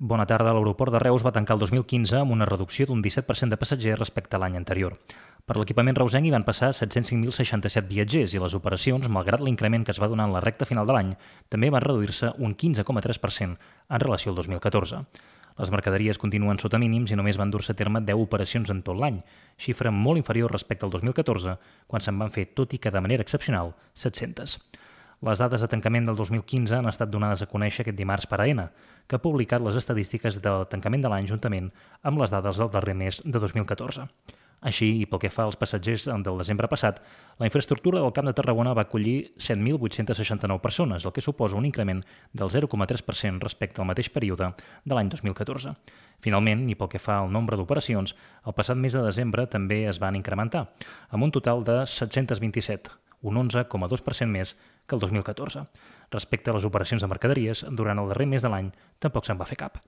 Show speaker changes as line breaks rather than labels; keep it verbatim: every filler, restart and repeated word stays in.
Bona tarda. L'aeroport de Reus va tancar el dos mil quinze amb una reducció d'un disset per cent de passatgers respecte a l'any anterior. Per l'equipament reusenc hi van passar set-cents cinc mil seixanta-set viatgers i les operacions, malgrat l'increment que es va donar en la recta final de l'any, també van reduir-se un quinze coma tres per cent en relació al dos mil catorze. Les mercaderies continuen sota mínims i només van dur-se a terme deu operacions en tot l'any, xifra molt inferior respecte al dos mil catorze, quan se'n van fer, tot i que de manera excepcional, set-centes. Les dades de tancament del dos mil quinze han estat donades a conèixer aquest dimarts per A E N A, que ha publicat les estadístiques del tancament de l'any juntament amb les dades del darrer mes de dos mil catorze. Així, i pel que fa als passatgers del desembre passat, la infraestructura del Camp de Tarragona va acollir set mil vuit-cents seixanta-nou persones, el que suposa un increment del zero coma tres per cent respecte al mateix període de l'any dos mil catorze. Finalment, i pel que fa al nombre d'operacions, el passat mes de desembre també es van incrementar, amb un total de set-cents vint-i-set, un onze coma dos per cent més que el dos mil catorze. Respecte a les operacions de mercaderies, durant el darrer mes de l'any tampoc se'n va fer cap.